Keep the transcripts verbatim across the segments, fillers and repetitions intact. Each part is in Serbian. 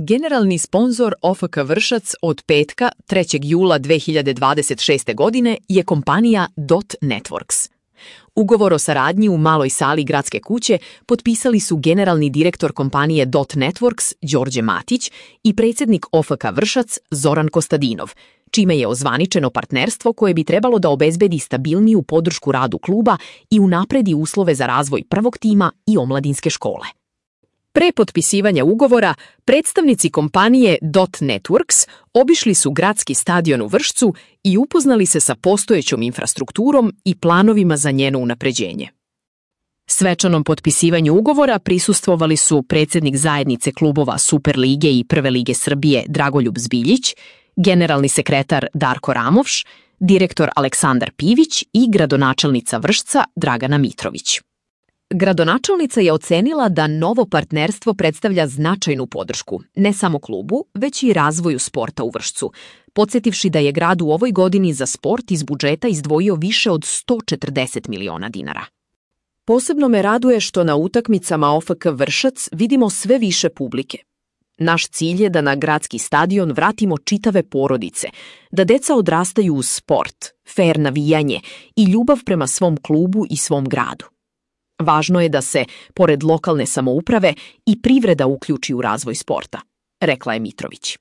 Generalni sponzor O F K Vršac od petka, trećeg jula dve hiljade dvadeset šeste. godine je kompanija Dot Networks. Ugovor o saradnji u maloj sali Gradske kuće potpisali su generalni direktor kompanije Dot Networks Đorđe Matić i predsjednik O F K Vršac Zoran Kostadinov, čime je ozvaničeno partnerstvo koje bi trebalo da obezbedi stabilniju podršku radu kluba i unapredi uslove za razvoj prvog tima i omladinske škole. Pre potpisivanja ugovora, predstavnici kompanije Dot Networks obišli su gradski stadion u Vršcu i upoznali se sa postojećom infrastrukturom i planovima za njeno unapređenje. Svečanom potpisivanju ugovora prisustvovali su predsjednik zajednice klubova Superlige i Prve lige Srbije Dragoljub Zbiljić, generalni sekretar Darko Ramovš, direktor Aleksandar Pivić i gradonačelnica Vršca Dragana Mitrović. Gradonačelnica je ocenila da novo partnerstvo predstavlja značajnu podršku, ne samo klubu, već i razvoju sporta u Vršcu, podsjetivši da je grad u ovoj godini za sport iz budžeta izdvojio više od sto četrdeset miliona dinara. Posebno me raduje što na utakmicama O F K Vršac vidimo sve više publike. Naš cilj je da na gradski stadion vratimo čitave porodice, da deca odrastaju uz sport, fer navijanje i ljubav prema svom klubu i svom gradu. Važno je da se, pored lokalne samouprave, i privreda uključi u razvoj sporta, rekla je Mitrović.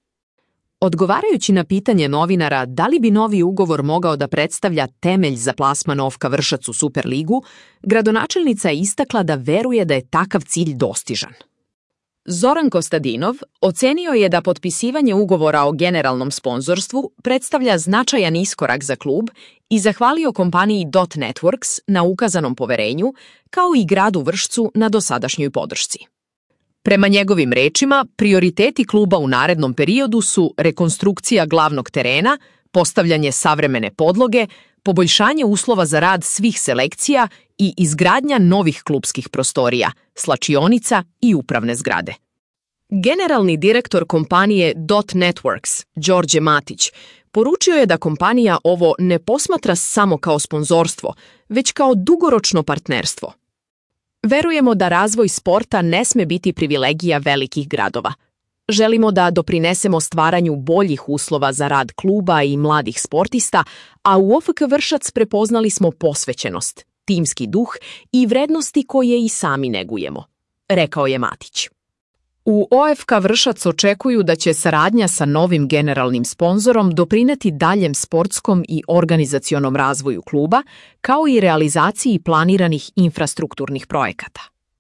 Odgovarajući na pitanje novinara da li bi novi ugovor mogao da predstavlja temelj za plasman O F K Vršac u Superligu, gradonačelnica je istakla da veruje da je takav cilj dostižan. Zoran Kostadinov ocenio je da potpisivanje ugovora o generalnom sponzorstvu predstavlja značajan iskorak za klub i zahvalio kompaniji Dot Networks na ukazanom poverenju, kao i gradu Vršcu na dosadašnjoj podršci. Prema njegovim rečima, prioriteti kluba u narednom periodu su rekonstrukcija glavnog terena, postavljanje savremene podloge, poboljšanje uslova za rad svih selekcija i izgradnja novih klubskih prostorija, slačionica i upravne zgrade. Generalni direktor kompanije Dot Networks, Đorđe Matić, poručio je da kompanija ovo ne posmatra samo kao sponzorstvo, već kao dugoročno partnerstvo. Verujemo da razvoj sporta ne sme biti privilegija velikih gradova. Želimo da doprinesemo stvaranju boljih uslova za rad kluba i mladih sportista, a u O F K Vršac prepoznali smo posvećenost, timski duh i vrednosti koje i sami negujemo, rekao je Matić. U O F K Vršac očekuju da će saradnja sa novim generalnim sponzorom doprineti daljem sportskom i organizacionom razvoju kluba, kao i realizaciji planiranih infrastrukturnih projekata.